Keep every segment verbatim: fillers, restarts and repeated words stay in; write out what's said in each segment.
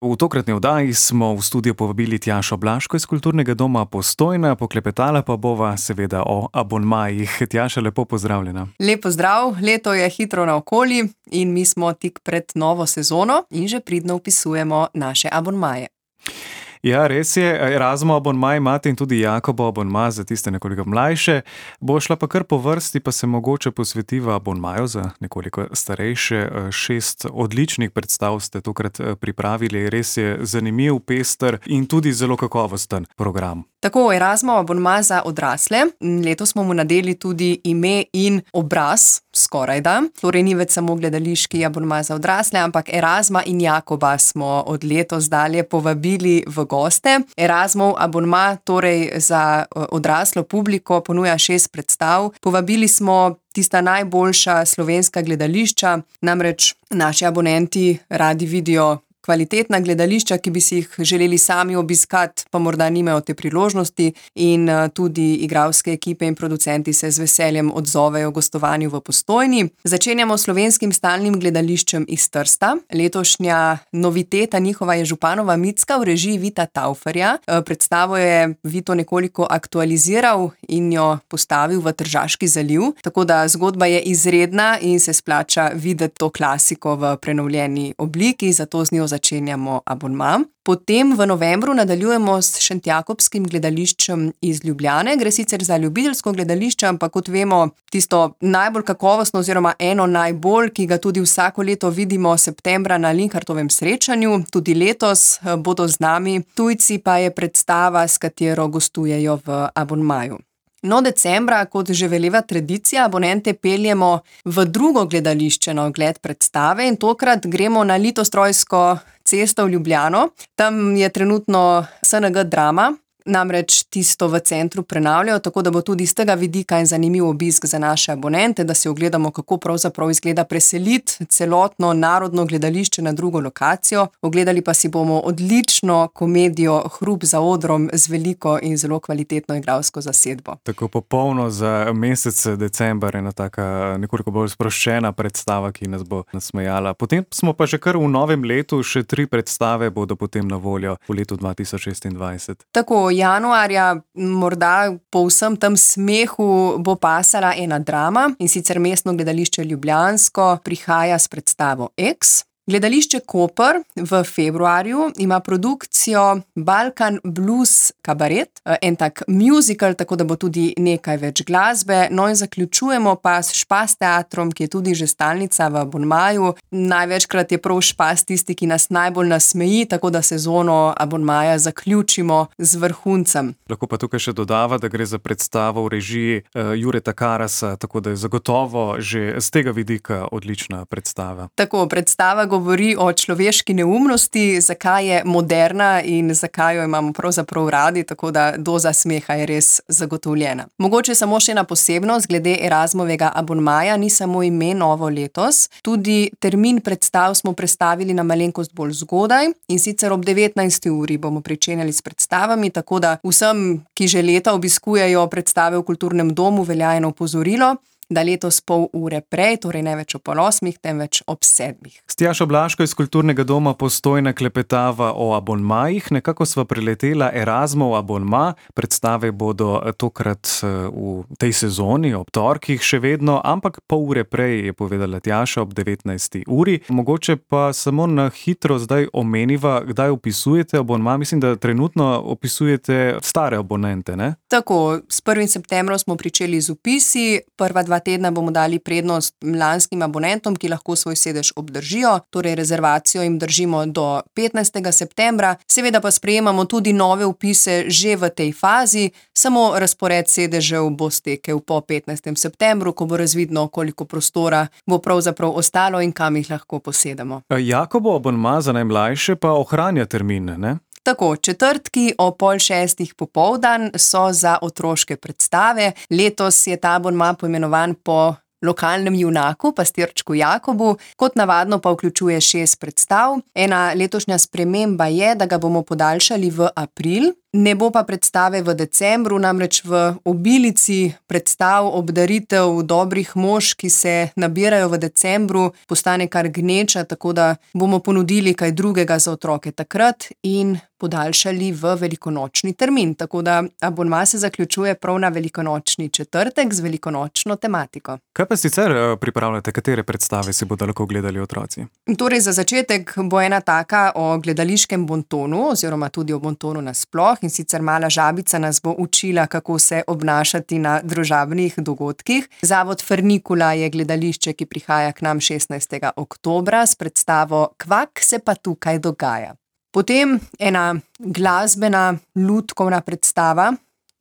V tokratni oddaji smo v studio povabili Tjašo Blaško iz Kulturnega doma Postojna, poklepetala pa bova seveda o abonmajih. Tjaša, lepo pozdravljena. Lep pozdrav, leto je hitro naokoli in mi smo tik pred novo sezono in že pridno vpisujemo naše abonmaje. Ja, res je, Erasmov abonmaj imate in tudi Jakobov abonmaj za tiste nekoliko mlajše. Bo šla pa kar po vrsti, pa se mogoče posvetiva abonmaju za nekoliko starejše. Šest odličnih predstav ste tokrat pripravili, res je zanimiv, pester in tudi zelo kakovosten program. Tako, Erasmov abonmaj za odrasle. Letos smo mu nadeli tudi ime in obraz, skorajda. Torej ni več samo gledališki abonmaj za odrasle, ampak Erasma in Jakoba smo od letos dalje povabili v goste. Erasmov abonmaj torej za odraslo publiko ponuja šest predstav. Povabili smo tista najboljša slovenska gledališča, namreč naši abonenti radi vidijo kvalitetna gledališča, ki bi si jih želeli sami obiskati, pa morda nimajo te priložnosti, in tudi igralske ekipe in producenti se z veseljem odzovejo gostovanju v Postojni. Začenjamo s Slovenskim stalnim gledališčem iz Trsta. Letošnja noviteta njihova je Županova Micka v režiji Vita Tauferja. Predstavo je Vito nekoliko aktualiziral in jo postavil v Tržaški zaliv, tako da zgodba je izredna in se splača videti to klasiko v prenovljeni obliki, zato z njo začenjamo abonma. Potem v novembru nadaljujemo s Šentjakobskim gledališčem iz Ljubljane. Gre sicer za ljubiteljsko gledališče, ampak kot vemo, tisto najbolj kakovostno oziroma eno najbolj, ki ga tudi vsako leto vidimo septembra na Linhartovem srečanju. Tudi letos bodo z nami. Tujci pa je predstava, s katero gostujejo v abonmaju. No, decembra, kot že veleva tradicija, abonente peljemo v drugo gledališče na ogled predstave in tokrat gremo na Litostrojsko cesto v Ljubljano. Tam je trenutno S N G Drama, namreč tisto v centru prenavljajo, tako da bo tudi z tega vidika en zanimiv obisk za naše abonente, da si ogledamo, kako pravzaprav izgleda preseliti celotno narodno gledališče na drugo lokacijo. Ogledali pa si bomo odlično komedijo Hrup za odrom z veliko in zelo kvalitetno igralsko zasedbo. Tako popolno za mesec december, ena taka nekoliko bolj sproščena predstava, ki nas bo nasmejala. Potem smo pa že kar v novem letu, še tri predstave bodo potem na voljo v letu dva tisoč šestindvajset. Tako, januarja morda po vsem tem smehu bo pasala ena drama, in sicer Mestno gledališče ljubljansko prihaja s predstavo X. Gledališče Koper v februarju ima produkcijo Balkan Blues Kabaret, en tak musical, tako da bo tudi nekaj več glasbe. No in zaključujemo pa s Špas teatrom, ki je tudi že stalnica v abonmaju. Največkrat je prav Špas tisti, ki nas najbolj nasmeji, tako da sezono abonmaja zaključimo z vrhuncem. Lahko pa tukaj še dodava, da gre za predstavo v režiji uh, Jureta Karasa, tako da je zagotovo že z tega vidika odlična predstava. Tako, predstava govori o človeški neumnosti, zakaj je moderna in zakaj jo imamo pravzaprav radi, tako da doza smeha je res zagotovljena. Mogoče samo še ena posebnost glede Erasmovega abonmaja, ni samo ime novo letos, tudi termin predstav smo prestavili na malenkost bolj zgodaj, in sicer ob devetnajsti uri bomo pričenjali s predstavami, tako da vsem, ki že leta obiskujejo predstave v Kulturnem domu, velja eno opozorilo, da letos pol ure prej, torej ne več ob pol osmih, temveč ob sedmih. S Tjašo Blaško iz Kulturnega doma Postojna klepetava o abonmajih. Nekako sva preletela Erasmov abonma. Predstave bodo tokrat v tej sezoni ob torkih še vedno, ampak pol ure prej, je povedala Tjaša, ob devetnajsti uri. Mogoče pa samo na hitro zdaj omeniva, kdaj opisujete abonma. Mislim, da trenutno opisujete stare abonente, ne? Tako, s prvim septembrom smo pričeli z vpisi, prva dva tedna bomo dali prednost lanskim abonentom, ki lahko svoj sedež obdržijo, torej rezervacijo jim držimo do petnajstega septembra. Seveda pa sprejemamo tudi nove vpise že v tej fazi, samo razpored sedežev bo stekel po petnajstem septembru, ko bo razvidno, koliko prostora bo pravzaprav ostalo in kam jih lahko posedemo. Jakobov abonma za najmlajše pa ohranja termin, ne? Tako, četrtki o pol šestih popoldan so za otroške predstave. Letos je ta abonma poimenovan po lokalnem junaku, pastirčku Jakobu, kot navadno pa vključuje šest predstav. Ena letošnja sprememba je, da ga bomo podaljšali v april, Ne bo pa predstave v decembru, namreč v obilici predstav, obdaritev dobrih mož, ki se nabirajo v decembru, postane kar gneča, tako da bomo ponudili kaj drugega za otroke takrat in podaljšali v velikonočni termin. Tako da abonma se zaključuje prav na velikonočni četrtek z velikonočno tematiko. Kaj pa sicer pripravljate, katere predstave si bodo lahko gledali otroci? Torej, za začetek bo ena taka o gledališkem bontonu oziroma tudi o bontonu nasploh, in sicer Mala žabica nas bo učila, kako se obnašati na družabnih dogodkih. Zavod Frnikula je gledališče, ki prihaja k nam šestnajstega oktobra s predstavo Kvak se pa tukaj dogaja. Potem ena glasbena, lutkovna predstava,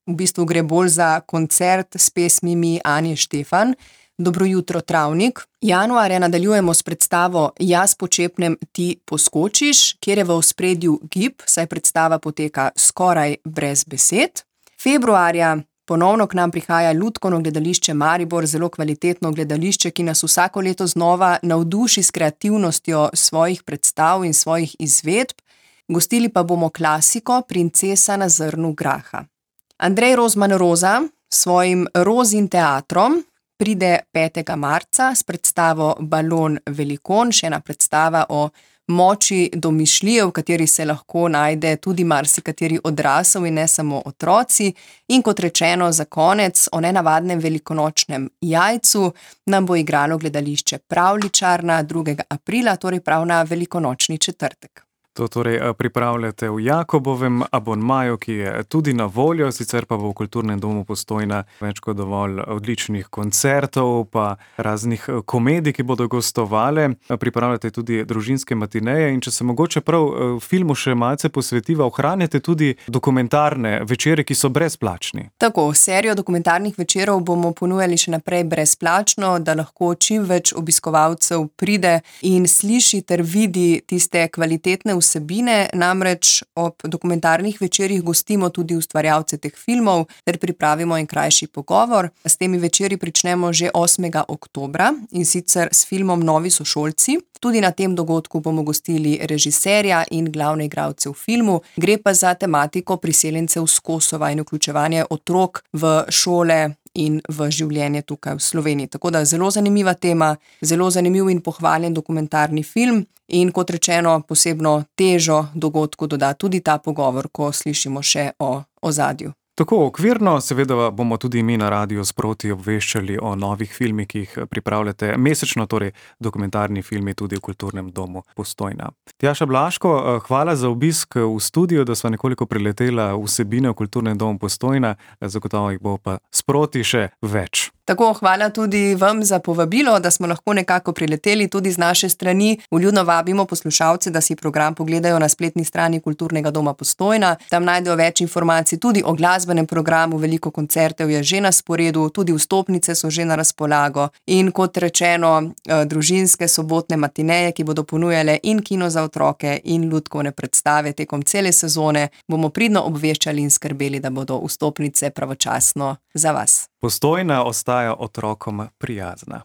v bistvu gre bolj za koncert s pesmimi Anje Štefan, Dobro jutro, Travnik. Januarja nadaljujemo s predstavo Jaz počepnem, ti poskočiš, kjer je v ospredju gib, saj predstava poteka skoraj brez besed. Februarja ponovno k nam prihaja Lutkovno gledališče Maribor, zelo kvalitetno gledališče, ki nas vsako leto znova navduši s kreativnostjo svojih predstav in svojih izvedb. Gostili pa bomo klasiko Princesa na zrnu graha. Andrej Rozman Roza s svojim Rozin teatrom pride petega marca s predstavo Balon velikon, še ena predstava o moči domišljije, v kateri se lahko najde tudi marsikateri odrasel in ne samo otroci. In kot rečeno, za konec o nenavadnem velikonočnem jajcu nam bo igralo gledališče Pravljičarna drugega aprila, torej prav na velikonočni četrtek. To torej pripravljate v Jakobovem abonmaju, ki je tudi na voljo, sicer pa bo v Kulturnem domu Postojna več kot dovolj odličnih koncertov, pa raznih komedij, ki bodo gostovale. Pripravljate tudi družinske matineje in če se mogoče prav filmu še malce posvetiva, ohranjate tudi dokumentarne večere, ki so brezplačni. Tako, serijo dokumentarnih večerov bomo ponujali še naprej brezplačno, da lahko čim več obiskovalcev pride in sliši ter vidi tiste kvalitetne vsebine, namreč ob dokumentarnih večerih gostimo tudi ustvarjalce teh filmov ter pripravimo en krajši pogovor. S temi večeri pričnemo že osmega oktobra in sicer s filmom Novi sošolci. Tudi na tem dogodku bomo gostili režiserja in glavne igralce v filmu. Gre pa za tematiko priseljencev s Kosova in vključevanje otrok v šole in v življenje tukaj v Sloveniji. Tako da zelo zanimiva tema, zelo zanimiv in pohvaljen dokumentarni film in kot rečeno, posebno težo dogodku doda tudi ta pogovor, ko slišimo še o ozadju. Tako okvirno, seveda bomo tudi mi na radiu sproti obveščali o novih filmih, ki jih pripravljate mesečno, torej dokumentarni filmi tudi v Kulturnem domu Postojna. Tjaša Blaško, hvala za obisk v studiu, da sva nekoliko preletela vsebine v Kulturnem domu Postojna, zagotovo jih bo pa sproti še več. Tako, hvala tudi vam za povabilo, da smo lahko nekako prileteli tudi z naše strani. Vljudno vabimo poslušalce, da si program pogledajo na spletni strani Kulturnega doma Postojna. Tam najdejo več informacij tudi o glasbenem programu, veliko koncertov je že na sporedu, tudi vstopnice so že na razpolago. In kot rečeno, družinske sobotne matineje, ki bodo ponujale in kino za otroke in lutkovne predstave tekom cele sezone, bomo pridno obveščali in skrbeli, da bodo vstopnice pravočasno za vas. Postojna ostaja otrokom prijazna.